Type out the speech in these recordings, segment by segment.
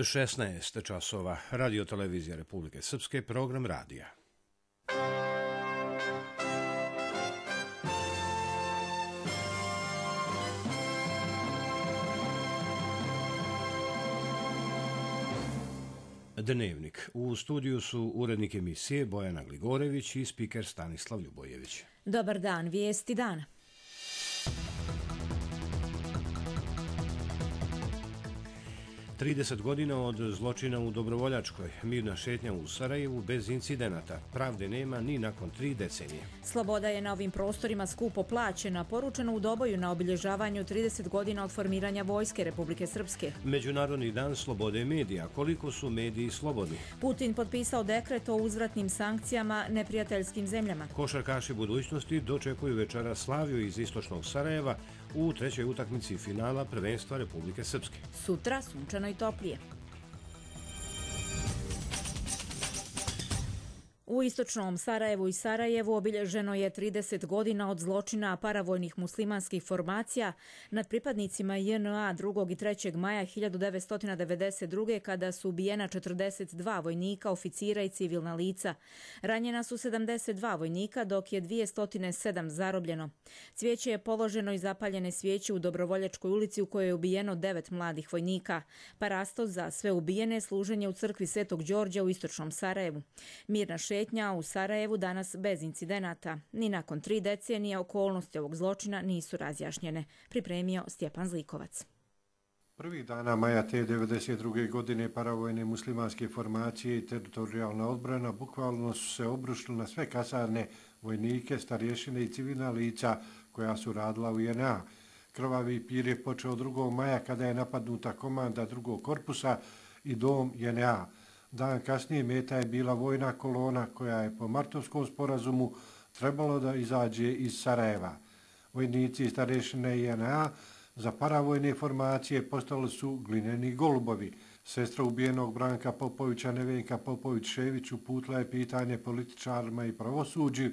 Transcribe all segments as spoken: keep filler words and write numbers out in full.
šesnaest časova, Radio televizija Republike Srpske, program radija. Dnevnik. U studiju su urednik emisije Bojana Gligorević i spiker Stanislav Ljubojević. Dobar dan, vijesti dana. trideset godina od zločina u Dobrovoljačkoj, mirna šetnja u Sarajevu bez incidenata. Pravde nema ni nakon tri decenije. Sloboda je na ovim prostorima skupo plaćena, poručeno u Doboju na obilježavanju trideset godina od formiranja Vojske Republike Srpske. Međunarodni dan slobode medija. Koliko su mediji slobodni? Putin potpisao dekret o uzvratnim sankcijama neprijateljskim zemljama. Košarkaši budućnosti dočekuju večera Slaviju iz istočnog Sarajeva u trećoj utakmici finala prvenstva Republike Srpske. Sutra sunčano i toplije. U istočnom Sarajevu i Sarajevu obilježeno je trideset godina od zločina paravojnih muslimanskih formacija nad pripadnicima J N A drugog i trećeg maja hiljadu devetsto devedeset druge kada su ubijena četrdeset dva vojnika, oficira i civilna lica. Ranjena su sedamdeset dva vojnika, dok je dvjesto sedam zarobljeno. Cvijeće je položeno i zapaljene svijeće u Dobrovoljačkoj ulici u kojoj je ubijeno devet mladih vojnika. Parasto za sve ubijene služenje u crkvi Svetog Đorđa u istočnom Sarajevu. Mirna šetnja u Sarajevu danas bez incidenata. Ni nakon tri decenije okolnosti ovog zločina nisu razjašnjene. Pripremio Stjepan Zlikovac. Prvih dana maja te devedeset druge godine paravojne muslimanske formacije i teritorijalna odbrana bukvalno su se obrušili na sve kasarne, vojnike, starješine i civilna lica koja su radila u J N A. Krvavi pir je počeo drugog maja kada je napadnuta komanda drugog korpusa i dom J N A. Dan kasnije meta je bila vojna kolona koja je po Martovskom sporazumu trebalo da izađe iz Sarajeva. Vojnici i starješine J N A za paravojne formacije postali su glineni golubovi. Sestra ubijenog Branka Popovića Nevenka Popović-Šević uputila je pitanje političarima i pravosuđu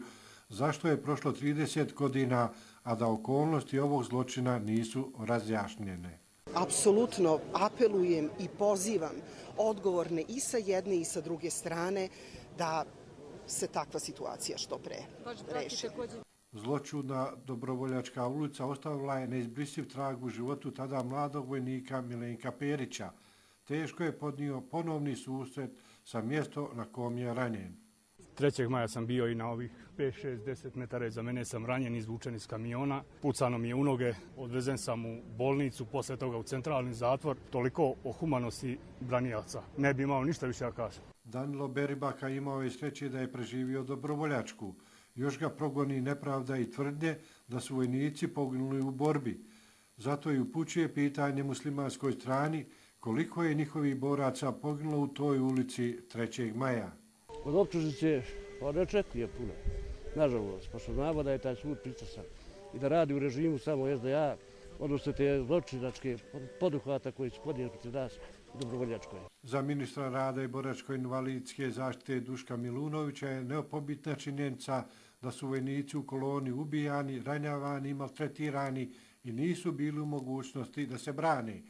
zašto je prošlo trideset godina, a da okolnosti ovog zločina nisu razjašnjene. Apsolutno apelujem i pozivam odgovorne i sa jedne i sa druge strane da se takva situacija što pre reši. Zločudna Dobrovoljačka ulica ostavila je neizbrisiv trag u životu tada mladog vojnika Milenka Perića. Teško je podnio ponovni susret sa mjesto na kom je ranjen. trećeg maja sam bio i na ovih pet šest deset metara iza mene sam ranjen, izvučen iz kamiona. Pucano mi je u noge, odvezen sam u bolnicu, posle toga u centralni zatvor. Toliko o humanosti branilaca. Ne bi imao ništa više da kažem. Danilo Beribaka imao je sreće da je preživio Dobrovoljačku. Još ga progoni nepravda i tvrdnje da su vojnici poginuli u borbi. Zato i upućuje pitanje muslimanskoj strani koliko je njihovih boraca poginulo u toj ulici trećeg maja. Od optužnice ne očekuje puno, nažalost, pošto znamo da je taj sud pristrasan i da radi u režimu samo S D A, odnosno te zločinačke poduhvata koji su podnijeli protiv nas u Dobrovoljačkoj. Za ministra rada i boračko-invalidske zaštite Duška Milunovića je neopobitna činjenica da su vojnici u koloni ubijani, ranjavani i maltretirani i nisu bili u mogućnosti da se brane.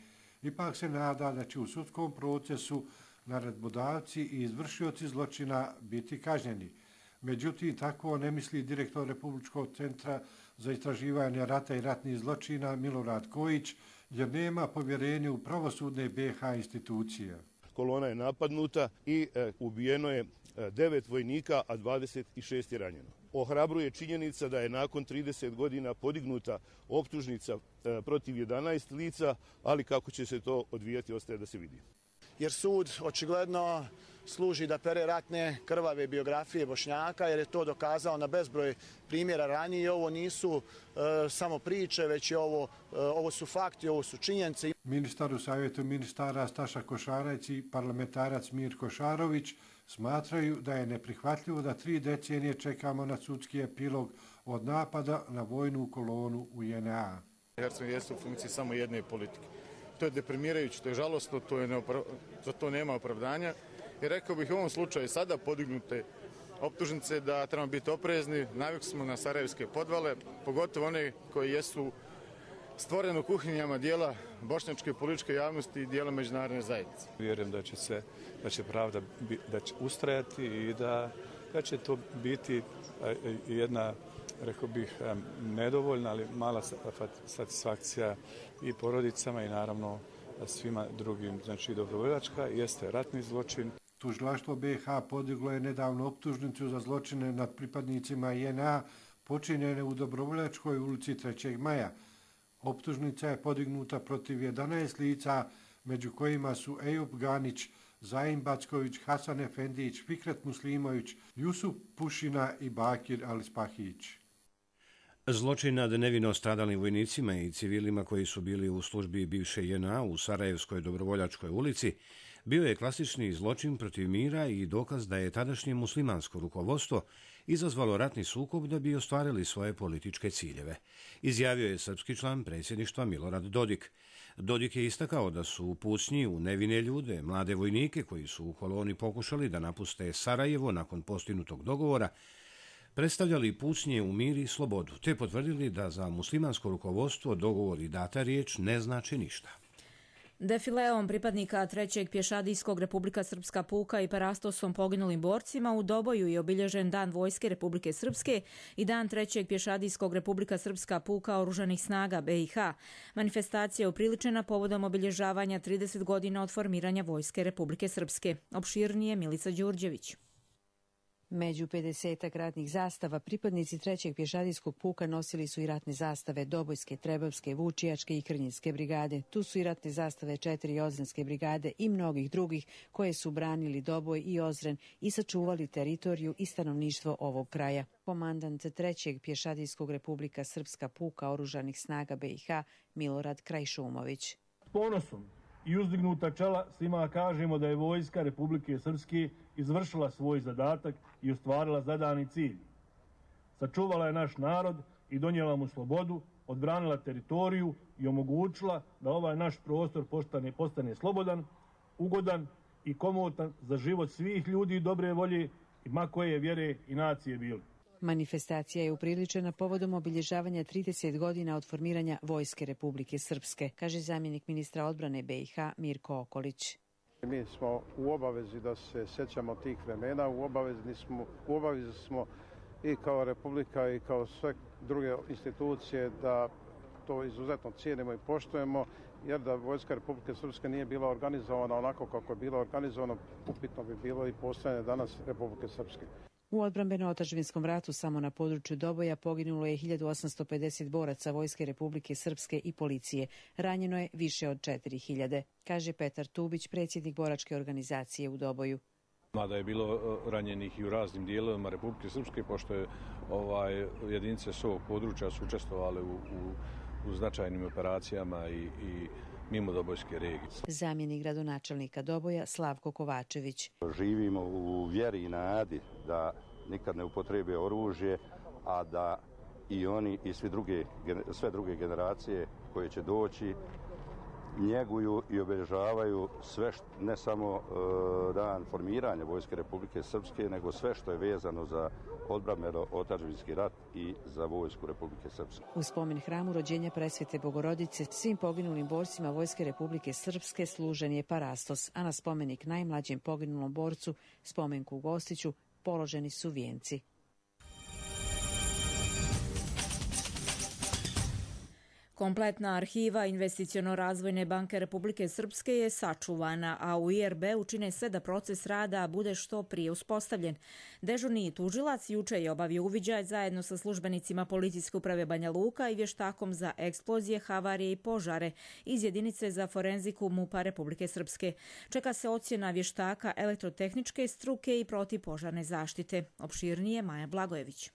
Ipak se nada da će u sudskom procesu naredbodavci i izvršioci zločina biti kažnjeni. Međutim, tako ne misli direktor Republičkog centra za istraživanje rata i ratnih zločina Milorad Kojić, jer nema povjerenja u pravosudne B iH institucije. Kolona je napadnuta i e, ubijeno je devet vojnika, a dvadeset šest je ranjeno. Ohrabruje činjenica da je nakon trideset godina podignuta optužnica e, protiv jedanaest lica, ali kako će se to odvijati ostaje da se vidi. Jer sud očigledno služi da pere ratne krvave biografije Bošnjaka, jer je to dokazao na bezbroj primjera ranije i ovo nisu e, samo priče, već je ovo, e, ovo su fakti, ovo su činjenice. Ministar u savjetu ministara Staša Košarac i parlamentarac Mirko Šarović smatraju da je neprihvatljivo da tri decenije čekamo na sudski epilog od napada na vojnu kolonu u J N A. Hercegovina jeste u funkciji samo jedne politike. To je deprimirajuće, to je žalostno, to je neopra... za to nema opravdanja. I rekao bih u ovom slučaju sada podignute optužnice da trebamo biti oprezni. Navikli smo na sarajevske podvale, pogotovo one koji jesu stvoren u kuhinjama dijela bošnjačke političke javnosti i dijela međunarodne zajednice. Vjerujem da će se, da će pravda da će ustrajati i da, da će to biti jedna, rekao bih, nedovoljna, ali mala satisfakcija i porodicama i naravno svima drugim. Znači, dobrovoljačka jeste ratni zločin. Tužilaštvo B i H podiglo je nedavno optužnicu za zločine nad pripadnicima J N A počinjene u Dobrovoljačkoj ulici trećeg maja. Optužnica je podignuta protiv jedanaest lica, među kojima su Ejup Ganić, Zaim Backović, Hasan Efendić, Fikret Muslimović, Jusuf Pušina i Bakir Alispahić. Zločin nad nevino stradalim vojnicima i civilima koji su bili u službi bivše J N A u Sarajevskoj Dobrovoljačkoj ulici bio je klasični zločin protiv mira i dokaz da je tadašnje muslimansko rukovodstvo izazvalo ratni sukob da bi ostvarili svoje političke ciljeve, izjavio je srpski član predsjedništva Milorad Dodik. Dodik je istakao da su u pucnji u nevine ljude, mlade vojnike koji su u koloni pokušali da napuste Sarajevo nakon postignutog dogovora, predstavljali pucnje u mir i slobodu, te potvrdili da za muslimansko rukovodstvo dogovor i data riječ ne znači ništa. Defileom pripadnika trećeg pješadijskog Republika Srpska puka i parastosom poginulim borcima u Doboju je obilježen Dan Vojske Republike Srpske i Dan trećeg pješadijskog Republika Srpska puka oružanih snaga B i H. Manifestacija je upriličena povodom obilježavanja trideset godina od formiranja Vojske Republike Srpske. Opširnije Milica Đurđević. Među pedesetak ratnih zastava pripadnici trećeg pješadijskog puka nosili su i ratne zastave Dobojske, Trebavske, Vučijačke i Krnjinske brigade. Tu su i ratne zastave četiri Ozrenske brigade i mnogih drugih koje su branili Doboj i Ozren i sačuvali teritoriju i stanovništvo ovog kraja. Komandant trećeg pješadijskog Republika Srpska puka oružanih snaga B i H Milorad Krajšumović. S ponosom i uzdignuta čela svima kažemo da je Vojska Republike Srpske izvršila svoj zadatak i ostvarila zadani cilj. Sačuvala je naš narod i donijela mu slobodu, odbranila teritoriju i omogućila da ovaj naš prostor postane, postane slobodan, ugodan i komotan za život svih ljudi dobre volje i ma koje vjere i nacije bili. Manifestacija je upriličena povodom obilježavanja trideset godina od formiranja Vojske Republike Srpske, kaže zamjenik ministra odbrane B i H Mirko Okolić. Mi smo u obavezi da se sjećamo tih vremena, u obavezi smo, u obavezi smo i kao Republika i kao sve druge institucije da to izuzetno cijenimo i poštujemo, jer da Vojska Republike Srpske nije bila organizovana onako kako je bilo organizovano, upitno bi bilo i postojanje danas Republike Srpske. U odbrambeno-otadžbinskom ratu samo na području Doboja poginulo je hiljadu osamsto pedeset boraca Vojske Republike Srpske i policije. Ranjeno je više od četiri hiljade, kaže Petar Tubić, predsjednik boračke organizacije u Doboju. Mada je bilo ranjenih i u raznim dijelovima Republike Srpske, pošto je ovaj, jedinice s ovog područja su učestvovale u, u, u značajnim operacijama i, i mimo Dobojske regije. Zamjenik gradonačelnika Doboja Slavko Kovačević. Živimo u vjeri i nadi da nikad ne upotrebe oružje, a da i oni i svi druge, sve druge generacije koje će doći njeguju i obilježavaju sve, što, ne samo uh, dan formiranja Vojske Republike Srpske, nego sve što je vezano za odbrambeno-otadžbinski rat i za Vojsku Republike Srpske. U spomen hramu rođenja Presvete Bogorodice svim poginulim borcima Vojske Republike Srpske služen je parastos, a na spomenik najmlađem poginulom borcu, spomenku u Gostiću, položeni su vijenci. Kompletna arhiva Investiciono-razvojne banke Republike Srpske je sačuvana, a u I R B učine sve da proces rada bude što prije uspostavljen. Dežurni tužilac juče je obavio uviđaj zajedno sa službenicima Policijske uprave Banja Luka i vještakom za eksplozije, havarije i požare iz jedinice za forenziku MUP-a Republike Srpske. Čeka se ocjena vještaka elektrotehničke struke i protivpožarne zaštite. Opširnije Maja Blagojević.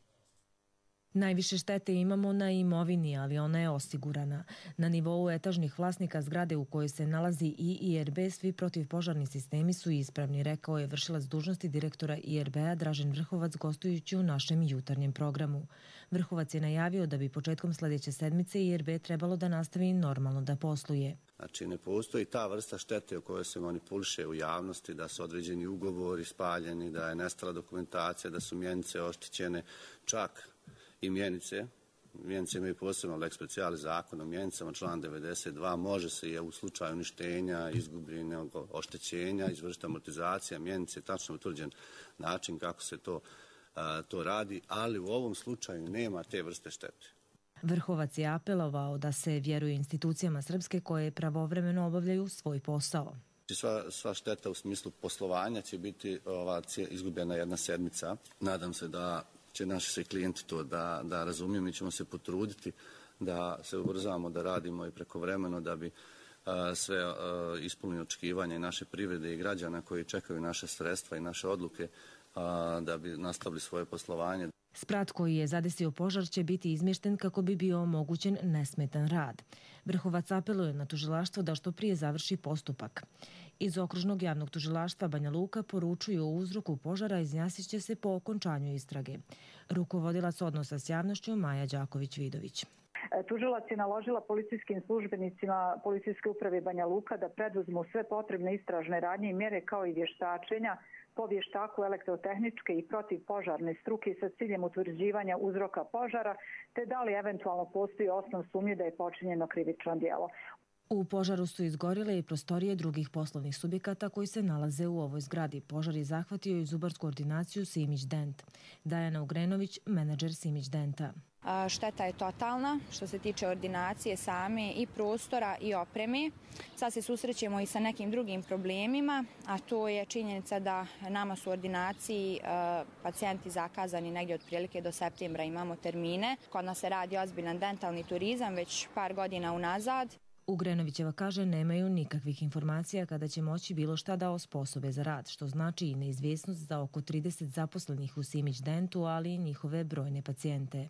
Najviše štete imamo na imovini, ali ona je osigurana. Na nivou etažnih vlasnika zgrade u kojoj se nalazi i I R B svi protivpožarni sistemi su ispravni, rekao je vršilac dužnosti direktora I R B-a Dražen Vrhovac gostujući u našem jutarnjem programu. Vrhovac je najavio da bi početkom sljedeće sedmice I R B trebalo da nastavi normalno da posluje. Znači ne postoji ta vrsta štete o kojoj se manipuliše u javnosti, da su određeni ugovori spaljeni, da je nestala dokumentacija, da su mjenice oštećene, čak i mjenice Mjenice imaju posebno lex specialis zakon o mjenicama, član devedeset dva, može se je u slučaju uništenja, izgubljenog oštećenja izvršiti amortizacija mjenice, tačno utvrđen način kako se to, a, to radi, ali u ovom slučaju nema te vrste štete. Vrhovac je apelovao da se vjeruje institucijama Srpske koje pravovremeno obavljaju svoj posao. Sva, sva šteta u smislu poslovanja će biti ova, izgubljena jedna sedmica. Nadam se da će naši svi klijenti to da, da razumiju. Mi ćemo se potruditi da se ubrzamo, da radimo i prekovremeno da bi a, sve a, ispunili očekivanja i naše privrede i građana koji čekaju naše sredstva i naše odluke a, da bi nastavili svoje poslovanje. Sprat koji je zadesio požar će biti izmješten kako bi bio omogućen nesmetan rad. Vrhovac apeluje na tužilaštvo da što prije završi postupak. Iz okružnog javnog tužilaštva Banja Luka poručuju o uzroku požara izjasnit će se po okončanju istrage. Rukovodilac odnosa s javnošću Maja Đaković-Vidović. Tužilac je naložila policijskim službenicima Policijske uprave Banja Luka da preduzmu sve potrebne istražne radnje i mjere kao i vještačenja po vještaku elektrotehničke i protivpožarne struke sa ciljem utvrđivanja uzroka požara, te da li eventualno postoji osnov sumnje da je počinjeno krivično djelo. U požaru su izgorile i prostorije drugih poslovnih subjekata koji se nalaze u ovoj zgradi. Požar je zahvatio i zubarsku ordinaciju Simić Dent. Dajana Ugrenović, menadžer Simić Denta. Šteta je totalna što se tiče ordinacije same i prostora i opreme. Sad se susrećemo i sa nekim drugim problemima, a to je činjenica da nama su u ordinaciji pacijenti zakazani negdje otprilike do septembra, imamo termine. Kod nas se radi ozbiljan dentalni turizam već par godina unazad. Ugrenovićeva kaže nemaju nikakvih informacija kada će moći bilo šta da osposobe za rad, što znači i neizvjesnost za oko trideset zaposlenih u Simić Dentu, ali i njihove brojne pacijente.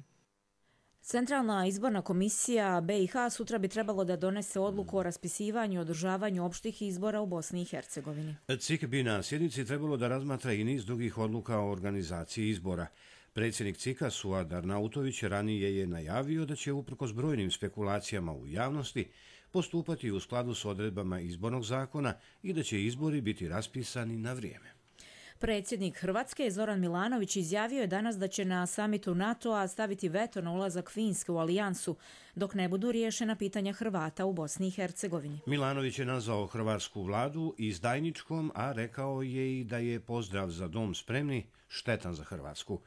Centralna izborna komisija B i H sutra bi trebalo da donese odluku o raspisivanju i održavanju opštih izbora u Bosni i Hercegovini. C I K bi na sjednici trebalo da razmatra i niz drugih odluka o organizaciji izbora. Predsjednik C I K-a Suad Arnautović ranije je najavio da će uprkos brojnim spekulacijama u javnosti postupati u skladu s odredbama izbornog zakona i da će izbori biti raspisani na vrijeme. Predsjednik Hrvatske Zoran Milanović izjavio je danas da će na samitu NATO-a staviti veto na ulazak Finske u alijansu, dok ne budu riješena pitanja Hrvata u Bosni i Hercegovini. Milanović je nazvao hrvatsku vladu izdajničkom, a rekao je i da je pozdrav za dom spremni štetan za Hrvatsku.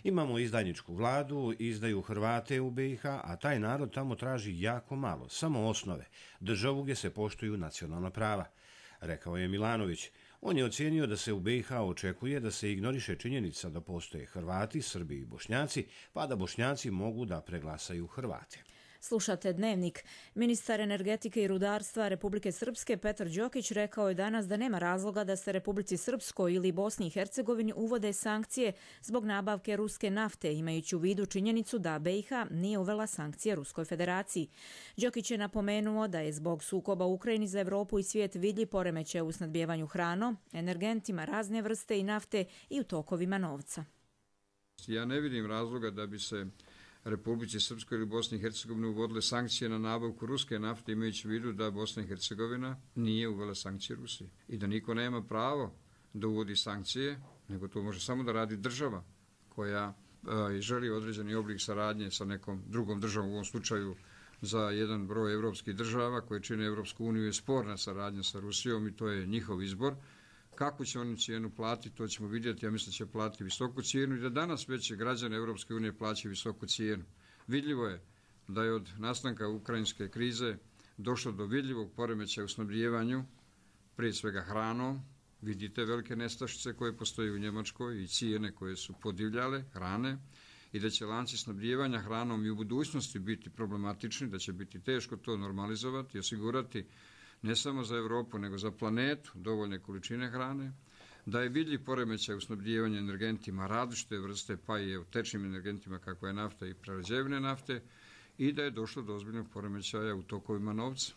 Imamo izdajničku vladu, izdaju Hrvate u B i H, a taj narod tamo traži jako malo, samo osnove, državu gdje se poštuju nacionalna prava, rekao je Milanović. On je ocijenio da se u B i H očekuje da se ignoriše činjenica da postoje Hrvati, Srbi i Bošnjaci, pa da Bošnjaci mogu da preglasaju Hrvate. Slušate Dnevnik. Ministar energetike i rudarstva Republike Srpske Petar Đokić rekao je danas da nema razloga da se Republici Srpskoj ili Bosni i Hercegovini uvode sankcije zbog nabavke ruske nafte, imajući u vidu činjenicu da B i H nije uvela sankcije Ruskoj federaciji. Đokić je napomenuo da je zbog sukoba u Ukrajini za Evropu i svijet vidljiv poremećaj u snabdijevanju hranom, energentima razne vrste i nafte i u tokovima novca. Ja ne vidim razloga da bi se Republici Srpskoj ili Bosni i Hercegovini uvodile sankcije na nabavku ruske nafte, imajući u vidu da Bosna i Hercegovina nije uvela sankcije Rusiji i da niko nema pravo da uvodi sankcije, nego to može samo da radi država koja e, želi određeni oblik saradnje sa nekom drugom državom, u ovom slučaju za jedan broj evropskih država koje čine Evropsku uniju je sporna saradnja sa Rusijom i to je njihov izbor. Kako će oni cijenu platiti, to ćemo vidjeti. Ja mislim da će platiti visoku cijenu i da danas već građane Evropske unije plaćaju visoku cijenu. Vidljivo je da je od nastanka ukrajinske krize došlo do vidljivog poremećaja u snabdijevanju, prije svega hranom. Vidite velike nestašice koje postoje u Njemačkoj i cijene koje su podivljale hrane i da će lanci snabdijevanja hranom i u budućnosti biti problematični, da će biti teško to normalizovati i osigurati ne samo za Evropu, nego za planetu dovoljne količine hrane, da je vidljiv poremećaj u snabdijevanju energentima različite vrste, pa i u tečnim energentima kakva je nafta i prerađevine nafte, i da je došlo do ozbiljnog poremećaja u tokovima novca.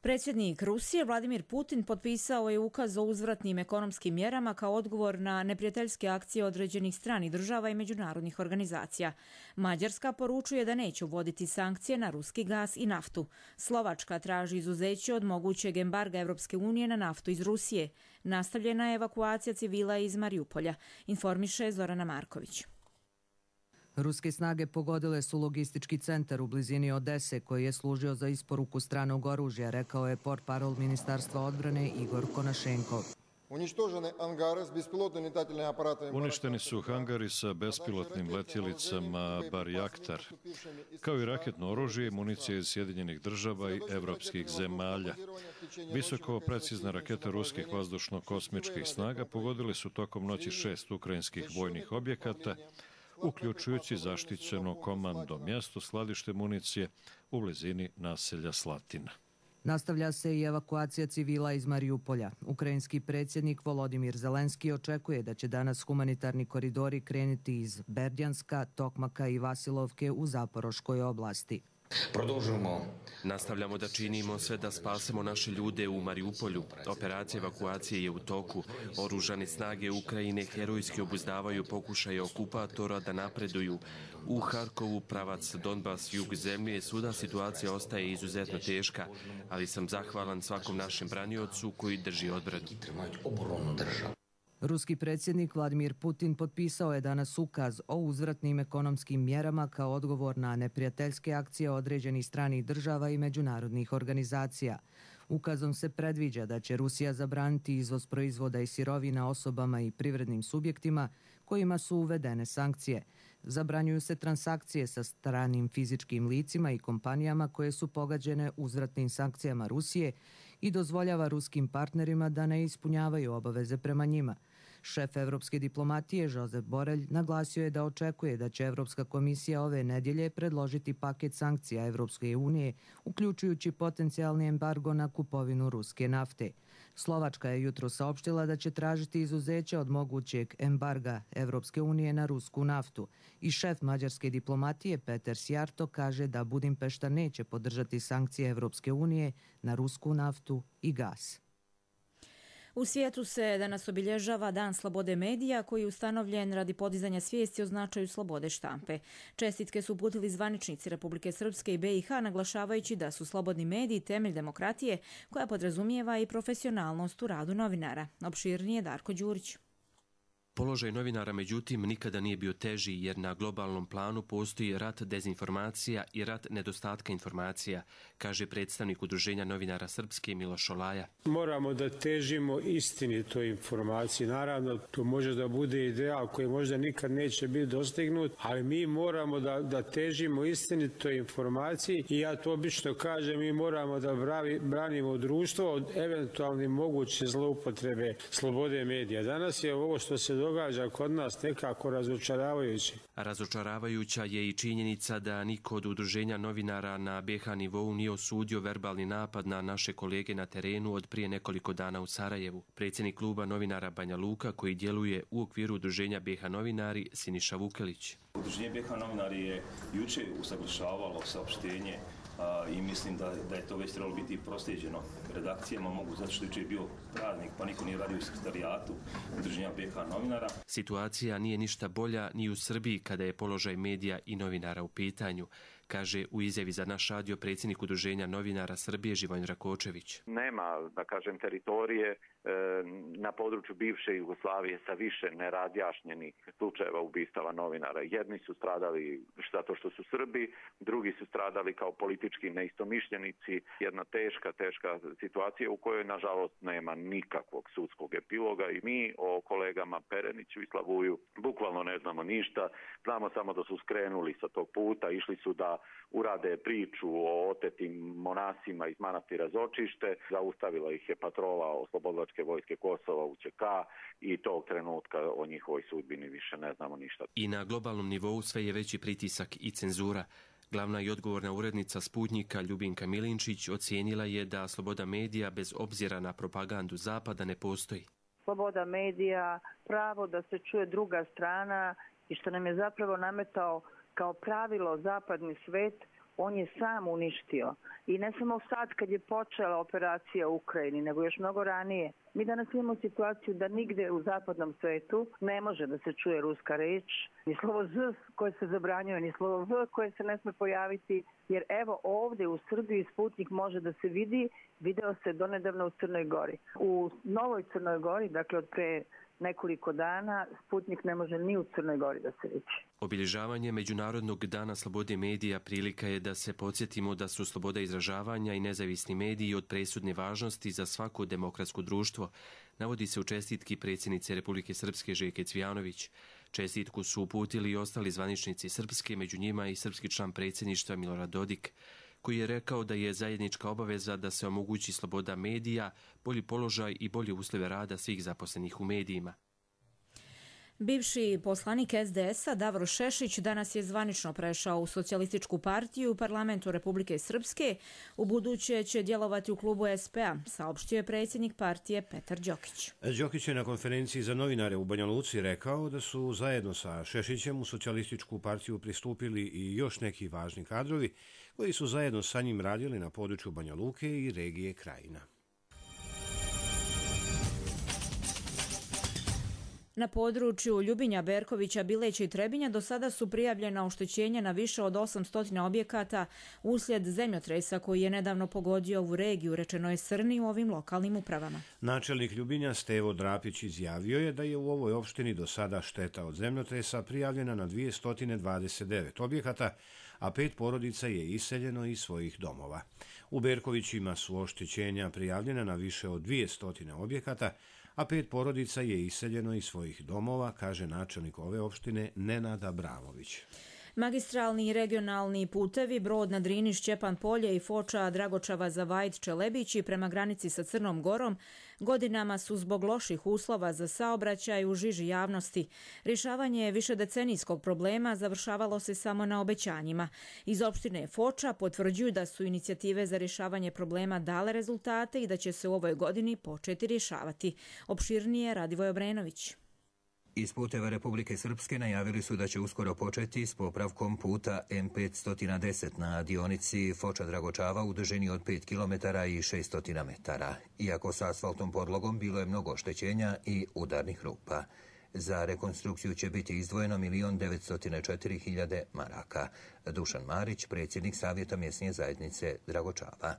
Predsjednik Rusije Vladimir Putin potpisao je ukaz o uzvratnim ekonomskim mjerama kao odgovor na neprijateljske akcije određenih stranih država i međunarodnih organizacija. Mađarska poručuje da neće uvoditi sankcije na ruski gas i naftu. Slovačka traži izuzeće od mogućeg embarga Evropske unije na naftu iz Rusije. Nastavljena je evakuacija civila iz Marijupolja, informiše Zorana Marković. Ruske snage pogodile su logistički centar u blizini Odese koji je služio za isporuku stranog oružja, rekao je portparol Ministarstva odbrane Igor Konašenkov. Uništeni su hangari sa bespilotnim letjelicama Barjaktar, kao i raketno oružje i municije iz Sjedinjenih država i evropskih zemalja. Visoko precizne rakete ruskih vazdušno-kosmičkih snaga pogodili su tokom noći šest ukrajinskih vojnih objekata, uključujući zaštićeno komando mjesto skladište municije u blizini naselja Slatina. Nastavlja se i evakuacija civila iz Mariupolja. Ukrajinski predsjednik Volodimir Zelenski očekuje da će danas humanitarni koridori krenuti iz Berdjanska, Tokmaka i Vasilovke u Zaporoškoj oblasti. Nastavljamo da činimo sve da spasemo naše ljude u Mariupolju. Operacija evakuacije je u toku. Oružane snage Ukrajine herojski obuzdavaju pokušaje okupatora da napreduju. U Harkovu, pravac Donbas, jug zemlje, svuda situacija ostaje izuzetno teška, ali sam zahvalan svakom našem braniocu koji drži odbranu. Ruski predsjednik Vladimir Putin potpisao je danas ukaz o uzvratnim ekonomskim mjerama kao odgovor na neprijateljske akcije određenih stranih država i međunarodnih organizacija. Ukazom se predviđa da će Rusija zabraniti izvoz proizvoda i sirovina osobama i privrednim subjektima kojima su uvedene sankcije. Zabranjuju se transakcije sa stranim fizičkim licima i kompanijama koje su pogađene uzvratnim sankcijama Rusije i dozvoljava ruskim partnerima da ne ispunjavaju obaveze prema njima. Šef evropske diplomatije Josep Borrell naglasio je da očekuje da će Evropska komisija ove nedjelje predložiti paket sankcija Evropske unije, uključujući potencijalni embargo na kupovinu ruske nafte. Slovačka je jutro saopštila da će tražiti izuzeće od mogućeg embarga Evropske unije na rusku naftu i šef mađarske diplomatije Peter Sjarto kaže da Budimpešta neće podržati sankcije Evropske unije na rusku naftu i gas. U svijetu se danas obilježava Dan slobode medija koji je ustanovljen radi podizanja svijesti o značaju slobode štampe. Čestitke su uputili zvaničnici Republike Srpske i B i H naglašavajući da su slobodni mediji temelj demokratije koja podrazumijeva i profesionalnost u radu novinara. Opširnije Darko Đurić. Položaj novinara, međutim, nikada nije bio teži jer na globalnom planu postoji rat dezinformacija i rat nedostatka informacija, kaže predstavnik Udruženja novinara Srpske Miloš Olaja. Moramo da težimo istinitoj informaciji. Naravno, to može da bude ideal koji možda nikad neće biti dostignut, ali mi moramo da, da težimo istinitoj informaciji i ja to obično kažem, mi moramo da bravi, branimo društvo od eventualne moguće zloupotrebe slobode medija. Danas je ovo što se događa kod nas nekako razočaravajuće. Razočaravajuća je i činjenica da niko od udruženja novinara na B H nivou nije osudio verbalni napad na naše kolege na terenu od prije nekoliko dana u Sarajevu. Predsjednik kluba novinara Banja Luka, koji djeluje u okviru udruženja B H novinari, Siniša Vukelić. Udruženje B H novinari je juče usaglašavalo saopštenje i mislim da, da je to već trebalo biti proslijeđeno redakcijama, mogu zato što je bio praznik pa niko nije radio u sekretarijatu udruženja B H novinara. Situacija nije ništa bolja ni u Srbiji kada je položaj medija i novinara u pitanju, kaže u izjavi za naš radio predsjednik Udruženja novinara Srbije Živojin Rakočević. Nema, da kažem, teritorije na području bivše Jugoslavije sa više nerazjašnjenih slučajeva ubistava novinara. Jedni su stradali zato što su Srbi, drugi su stradali kao politički neistomišljenici. Jedna teška, teška situacija u kojoj, nažalost, nema nikakvog sudskog epiloga i mi o kolegama Pereniću i Slavuju bukvalno ne znamo ništa. Znamo samo da su skrenuli sa tog puta, išli su da urade priču o otetim monasima iz manastira Zočište, zaustavila ih je patrola Oslobodilačke vojske Kosova U Č K i tog trenutka o njihovoj sudbini više ne znamo ništa. I na globalnom nivou sve je veći pritisak i cenzura. Glavna i odgovorna urednica Sputnjika Ljubinka Milinčić ocijenila je da sloboda medija bez obzira na propagandu Zapada ne postoji. Sloboda medija, pravo da se čuje druga strana i što nam je zapravo nametao kao pravilo zapadni svet, on je sam uništio. I ne samo sad kad je počela operacija u Ukrajini, nego još mnogo ranije. Mi danas imamo situaciju da nigde u zapadnom svetu ne može da se čuje ruska reč, ni slovo Z koje se zabranjuje, ni slovo V koje se ne sme pojaviti, jer evo ovdje u Srbiji Sputnik može da se vidi, video se donedavno u Crnoj Gori. U Novoj Crnoj Gori, dakle od pre nekoliko dana Sputnik ne može ni u Crnoj Gori da se vidi. Obilježavanje Međunarodnog dana slobode medija prilika je da se podsjetimo da su sloboda izražavanja i nezavisni mediji od presudne važnosti za svako demokratsko društvo, navodi se u čestitki predsjednice Republike Srpske Željke Cvijanović. Čestitku su uputili i ostali zvaničnici Srpske, među njima i srpski član predsjedništva Milorad Dodik, koji je rekao da je zajednička obaveza da se omogući sloboda medija, bolji položaj i bolje uslove rada svih zaposlenih u medijima. Bivši poslanik es de es a Davor Šešić danas je zvanično prešao u Socijalističku partiju u parlamentu Republike Srpske. U buduće će djelovati u klubu es pe a, saopštio je predsjednik partije Petar Đokić. Đokić je na konferenciji za novinare u Banja Luci rekao da su zajedno sa Šešićem u Socijalističku partiju pristupili i još neki važni kadrovi koji su zajedno sa njim radili na području Banja Luke i regije Krajina. Na području Ljubinja, Berkovića, Bileća i Trebinja do sada su prijavljena oštećenja na više od osamsto objekata uslijed zemljotresa koji je nedavno pogodio ovu regiju, rečeno je Srni u ovim lokalnim upravama. Načelnik Ljubinja Stevo Drapić izjavio je da je u ovoj opštini do sada šteta od zemljotresa prijavljena na dvjesto dvadeset devet objekata, a pet porodica je iseljeno iz svojih domova. U Berkovićima su oštećenja prijavljena na više od dvjesto objekata, a pet porodica je iseljeno iz svojih domova, kaže načelnik ove opštine Nenad Abramović. Magistralni i regionalni putevi Brod na Drini, Šćepan Polje i Foča Dragočava za Vajt Čelebići prema granici sa Crnom Gorom godinama su zbog loših uslova za saobraćaj u žiži javnosti. Rješavanje višedecenijskog problema završavalo se samo na obećanjima. Iz opštine Foča potvrđuju da su inicijative za rješavanje problema dale rezultate i da će se u ovoj godini početi rješavati. Opširnije Radivoj Obrenović. Iz puteva Republike Srpske najavili su da će uskoro početi s popravkom puta em petsto deset na dionici Foča-Dragočava u dužini od pet kilometara i šesto metara. Iako sa asfaltom podlogom bilo je mnogo oštećenja i udarnih rupa. Za rekonstrukciju će biti izdvojeno milion devetsto četiri hiljade maraka. Dušan Marić, predsjednik Savjeta mjesne zajednice Dragočava.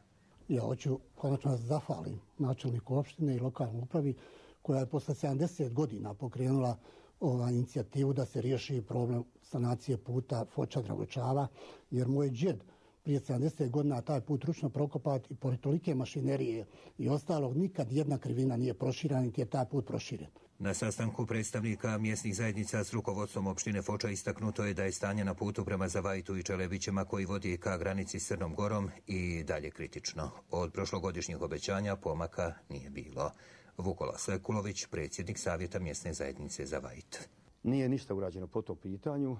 Ja hoću konačno zahvalim načelniku opštine i lokalnoj upravi koja je posle sedamdeset godina pokrenula ova inicijativu da se riješi problem sanacije puta Foča-Dragočava, jer moj džed prije sedamdeset godina taj put ručno prokopat i pored tolike mašinerije i ostalog nikad jedna krivina nije proširena, niti je taj put proširen. Na sastanku predstavnika mjesnih zajednica s rukovodstvom opštine Foča istaknuto je da je stanje na putu prema Zavajtu i Čelebićima koji vodi ka granici s Crnom Gorom i dalje kritično. Od prošlogodišnjih obećanja pomaka nije bilo. Vukola Svekulović, predsjednik Savjeta mjesne zajednice Zavajt. Nije ništa urađeno po tom pitanju.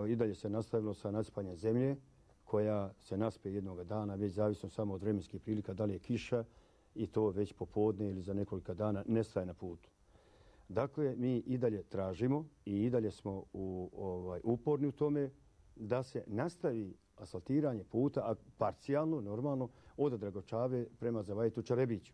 I dalje se nastavilo sa nasipanjem zemlje koja se naspe jednog dana, već zavisno samo od vremenskih prilika, da li je kiša i to već popodne ili za nekoliko dana nestaje na putu. Dakle, mi i dalje tražimo i i dalje smo u, ovaj, uporni u tome da se nastavi asfaltiranje puta, a parcijalno, normalno, od Dragočave prema Zavajtu Čelebiću.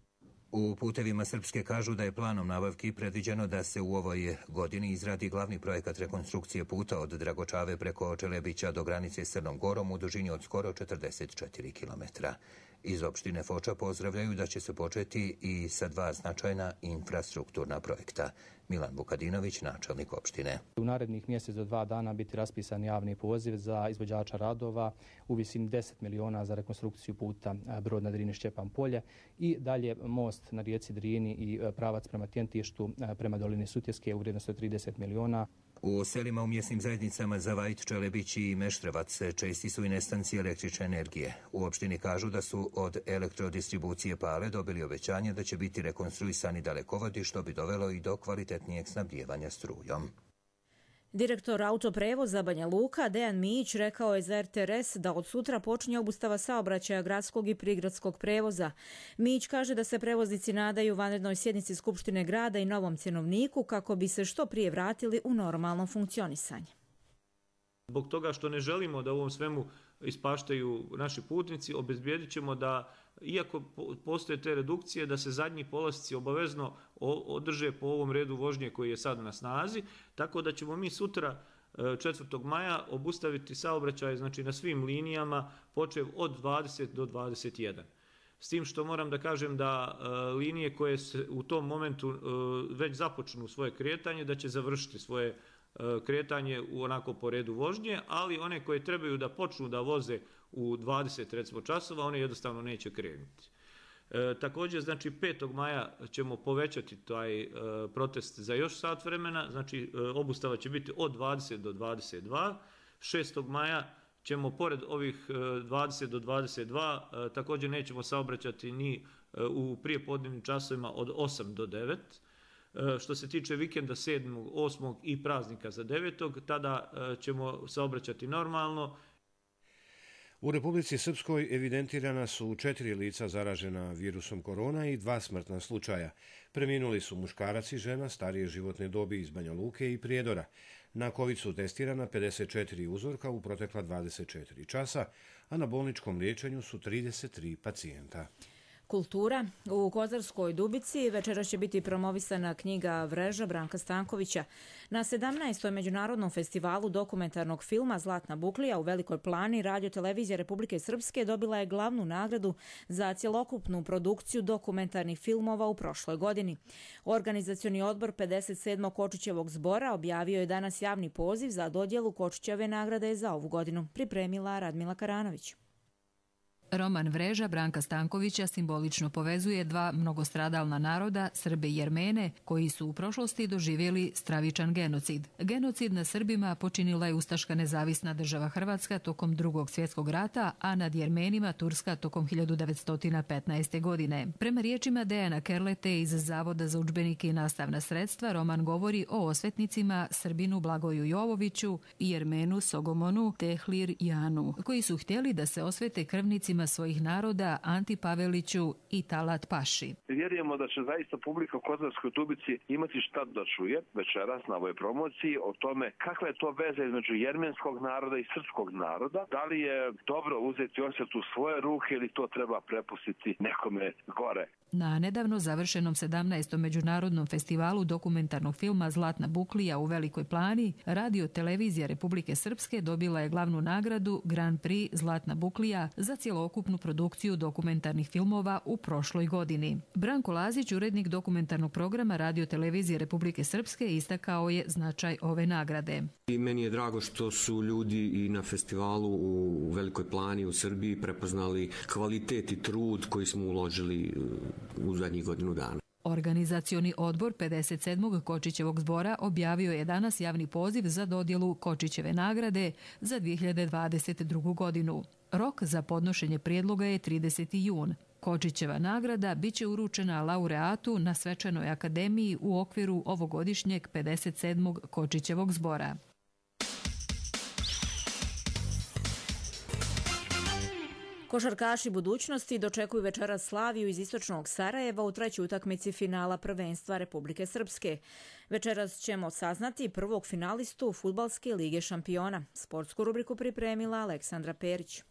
U putevima Srpske kažu da je planom nabavki predviđeno da se u ovoj godini izradi glavni projekat rekonstrukcije puta od Dragočave preko Čelebića do granice s Crnom Gorom u dužini od skoro četrdeset četiri kilometra. Iz opštine Foča pozdravljaju da će se početi i sa dva značajna infrastrukturna projekta. Milan Vukadinović, načelnik opštine. U narednih mjesec do dva dana biti raspisan javni poziv za izvođača radova u visini deset miliona za rekonstrukciju puta Brod na Drini, Šćepan Polje i dalje most na rijeci Drini i pravac prema Tjentištu prema dolini Sutjeske u vrijednosti od trideset miliona. U selima u mjesnim zajednicama Zavajt, Čelebić i Meštrevac česti su i nestanci električne energije. U opštini kažu da su od elektrodistribucije Pale dobili obećanje da će biti rekonstruisani dalekovodi što bi dovelo i do kvalitetnijeg snabdijevanja strujom. Direktor autoprevoza Banja Luka Dejan Mijić rekao je za er te er es da od sutra počinje obustava saobraćaja gradskog i prigradskog prevoza. Mijić kaže da se prevoznici nadaju vanrednoj sjednici Skupštine grada i novom cjenovniku kako bi se što prije vratili u normalno funkcionisanje. Zbog toga što ne želimo da u ovom svemu ispaštaju naši putnici, obezbijedit ćemo da, iako postoje te redukcije, da se zadnji polasci obavezno održe po ovom redu vožnje koji je sad na snazi, tako da ćemo mi sutra četvrtog maja obustaviti saobraćaj, znači na svim linijama počev od dvadeset do dvadeset jedan. s tim što moram da kažem da linije koje se u tom momentu već započnu svoje kretanje, da će završiti svoje kretanje u onako po redu vožnje, ali one koje trebaju da počnu da voze u dvadeset recimo časova, one jednostavno neće krenuti. E, također, znači petog maja ćemo povećati taj e, protest za još sat vremena, znači e, obustava će biti od dvadeset do dvadeset dva. šestog maja ćemo pored ovih e, dvadeset do dvadeset dva e, također nećemo saobraćati ni e, u prijepodnevnim časovima od osam do devet. E, što se tiče vikenda sedmog, osmog i praznika za devetog, tada e, ćemo saobraćati normalno. U Republici Srpskoj evidentirana su četiri lica zaražena virusom korona i dva smrtna slučaja. Preminuli su muškarac i žena starije životne dobi iz Banja Luke i Prijedora. Na COVID su testirana pedeset četiri uzorka u protekla dvadeset četiri časa, a na bolničkom liječenju su trideset tri pacijenta. Kultura. U Kozarskoj Dubici večeras će biti promovisana knjiga Vreža Branka Stankovića. Na sedamnaestom međunarodnom festivalu dokumentarnog filma Zlatna buklija u Velikoj Plani Radio-televizija Republike Srpske dobila je glavnu nagradu za cjelokupnu produkciju dokumentarnih filmova u prošloj godini. Organizacioni odbor pedeset sedmog Kočićevog zbora objavio je danas javni poziv za dodjelu Kočićeve nagrade za ovu godinu. Pripremila Radmila Karanović. Roman Vreža Branka Stankovića simbolično povezuje dva mnogostradalna naroda, Srbe i Jermene, koji su u prošlosti doživjeli stravičan genocid. Genocid na Srbima počinila je ustaška nezavisna država Hrvatska tokom Drugog svjetskog rata, a nad Jermenima Turska tokom hiljadu devetsto petnaeste. godine. Prema riječima Dejana Kerlete iz Zavoda za udžbenike i nastavna sredstva, roman govori o osvetnicima Srbinu Blagoju Jovoviću i Jermenu Sogomonu Tehlir Janu, koji su htjeli da se osvete krvnicima svojih naroda Anti Paveliću i Talat Paši. Vjerujemo da će zaista publika u Kozarskoj Dubici imati šta da čuje večeras na ovoj promociji o tome kakva je to veza između jermenskog naroda i srpskog naroda. Da li je dobro uzeti osvet u svoje ruke ili to treba prepustiti nekome gore. Na nedavno završenom sedamnaestom međunarodnom festivalu dokumentarnog filma Zlatna buklija u Velikoj Plani, Radio-televizija Republike Srpske dobila je glavnu nagradu Grand Prix Zlatna buklija za cjelokupnu produkciju dokumentarnih filmova u prošloj godini. Branko Lazić, urednik dokumentarnog programa Radio-televizije Republike Srpske, istakao je značaj ove nagrade. I meni je drago što su ljudi i na festivalu u Velikoj Plani u Srbiji prepoznali kvalitet i trud koji smo uložili u zadnjih godinu dana. Organizacioni odbor pedeset sedmog Kočićevog zbora objavio je danas javni poziv za dodjelu Kočićeve nagrade za dvije hiljade dvadeset drugu. godinu. Rok za podnošenje prijedloga je trideseti jun. Kočićeva nagrada biće uručena laureatu na Svečanoj akademiji u okviru ovogodišnjeg pedeset sedmog Kočićevog zbora. Košarkaši budućnosti dočekuju večeras Slaviju iz istočnog Sarajeva u trećoj utakmici finala prvenstva Republike Srpske. Večeras ćemo saznati prvog finalistu Fudbalske lige šampiona. Sportsku rubriku pripremila Aleksandra Perić.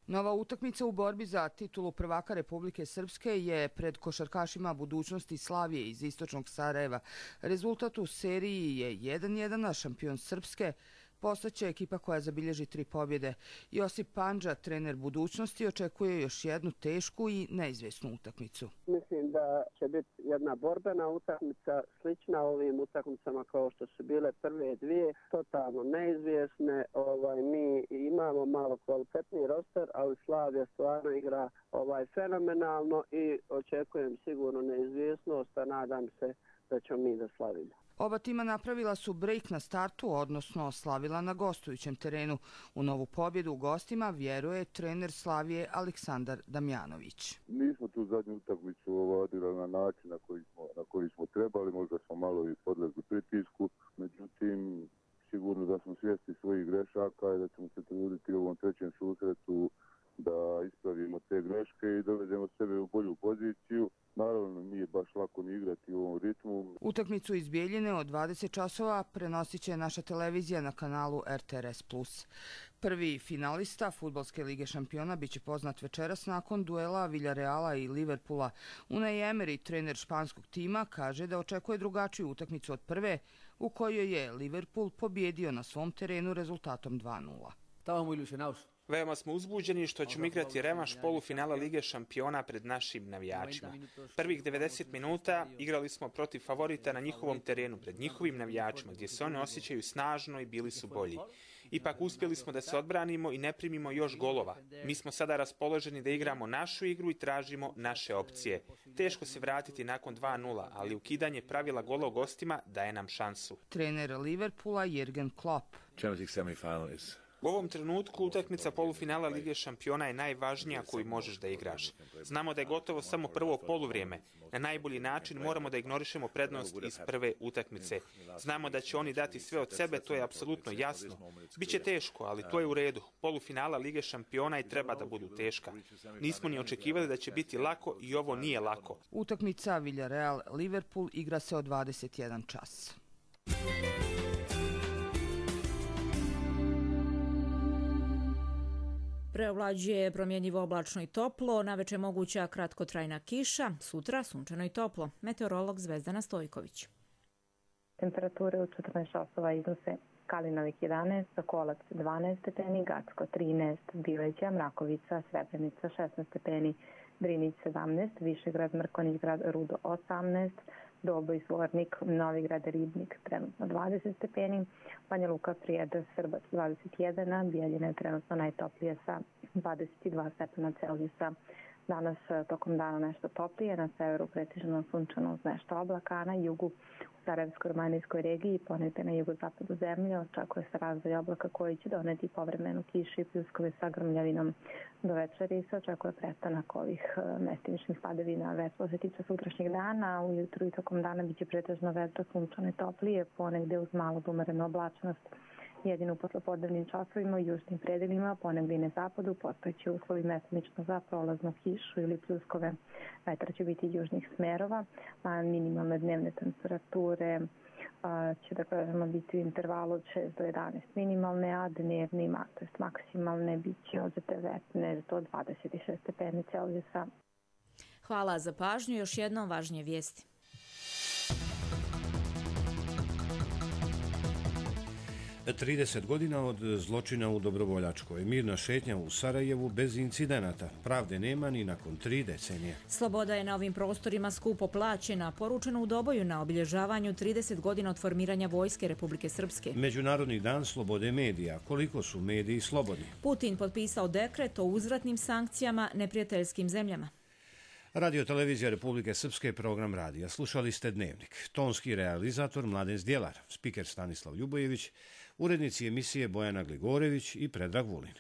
Nova utakmica u borbi za titulu prvaka Republike Srpske je pred košarkašima budućnosti Slavije iz istočnog Sarajeva. Rezultat u seriji je jedan jedan, a šampion Srpske postaće ekipa koja zabilježi tri pobjede. Josip Pandža, trener budućnosti, očekuje još jednu tešku i neizvjesnu utakmicu. Mislim da će biti jedna borbena utakmica, slična ovim utakmicama kao što su bile prve dvije, totalno neizvjesne. Ovaj, mi imamo malo kvalitetni roster, ali Slavija stvarno igra ovaj, fenomenalno i očekujem sigurno neizvjesnost, a nadam se da ćemo mi da slavimo. Oba tima napravila su break na startu, odnosno slavila na gostujućem terenu. U novu pobjedu u gostima vjeruje trener Slavije Aleksandar Damjanović. Mi smo tu zadnju utakmicu odigrali na način na koji smo, na koji smo trebali, možda smo malo i podlegli pritisku, međutim sigurno da smo svjesni svojih grešaka i da ćemo se truditi u ovom trećem susretu da ispravimo te greške i dovedemo sebe u bolju poziciju. Naravno, nije baš lako ni igrati u ovom ritmu. Utakmicu iz Bijeljine od dvadeset časova prenosit će naša televizija na kanalu R T R S plus. Prvi finalista Fudbalske lige šampiona biće poznat večeras nakon duela Villarreala i Liverpoola. Unai Emery, trener španskog tima, kaže da očekuje drugačiju utakmicu od prve, u kojoj je Liverpool pobjedio na svom terenu rezultatom dva nula. Estábamos muy ilusionados Veoma smo uzbuđeni što ćemo igrati revanš polufinala Lige šampiona pred našim navijačima. Prvih devedeset minuta igrali smo protiv favorita na njihovom terenu, pred njihovim navijačima, gdje se oni osjećaju snažno i bili su bolji. Ipak uspjeli smo da se odbranimo i ne primimo još golova. Mi smo sada raspoloženi da igramo našu igru i tražimo naše opcije. Teško se vratiti nakon dva nula, ali ukidanje pravila gola u gostima daje nam šansu. Trener Liverpoola Jürgen Klopp. U ovom trenutku utakmica polufinala Lige šampiona je najvažnija koju možeš da igraš. Znamo da je gotovo samo prvo poluvrijeme. Na najbolji način moramo da ignorišemo prednost iz prve utakmice. Znamo da će oni dati sve od sebe, to je apsolutno jasno. Biće teško, ali to je u redu. Polufinala Lige šampiona i treba da budu teška. Nismo ni očekivali da će biti lako i ovo nije lako. Utakmica Villarreal-Liverpool igra se od dvadeset jedan čas. Preovlađuje promjenjivo oblačno i toplo, naveče moguća kratkotrajna kiša, sutra sunčano i toplo. Meteorolog Zvezdana Stojković. Temperature u četrnaest časova iznose Kalinovik jedanaest, Sokolac dvanaest stepeni, Gacko trinaest, Bileđa, Mrakovica, Srebrenica šesnaest stepeni, Drinić sedamnaest, Višegrad, Mrkonjić-Grad, Rudo osamnaest, Doboj, Zvornik, Novigrad, Ribnik, trenutno dvadeset stepeni, Banja Luka, Prijedor, Srbac dvadeset jedan, a Bijeljina je trenutno najtoplije sa dvadeset dva stepena Celzijusa. Danas tokom dana nešto toplije, na severu pretežno sunčano uz nešto oblaka, a na jugu u Sarajevsko-Romanijskoj regiji ponegde na jugozapadu zemlje očekuje se razvoj oblaka koji će doneti povremenu kišu i pljuskove sa grmljavinom. Do večeri se očekuje prestanak ovih mestimičnih padavina. Već što se tiče sutrašnjeg dana, ujutru i tokom dana biće pretežno vedro, sunčano i toplije, ponegde uz malo umerenu oblačnost. Jedino u poslopodnevnim časovima u južnim predelima, ponegde i na zapadu, postojeći uslovi mestimično za prolaznu kišu ili pljuskove. Vetar će biti južnih smerova, a minimalne dnevne temperature a, će da kažemo biti u intervalu od šest do jedanaest minimalne, a dnevni, to jest maksimalne, bit će od devetnaest do dvadeset šest stepeni Celzijusa. Hvala za pažnju. Još jednom važnije vijesti. trideset godina od zločina u Dobrovoljačkoj. Mirna šetnja u Sarajevu bez incidenata. Pravde nema ni nakon tri decenije. Sloboda je na ovim prostorima skupo plaćena, poručeno u Doboju na obilježavanju trideset godina od formiranja Vojske Republike Srpske. Međunarodni dan slobode medija. Koliko su mediji slobodni? Putin potpisao dekret o uzvratnim sankcijama neprijateljskim zemljama. Radio televizija Republike Srpske, program radija. Slušali ste Dnevnik. Tonski realizator Mladen Zdjelar, spiker Stanislav Ljubojević, urednici emisije Bojana Gligorević i Predrag Vulin.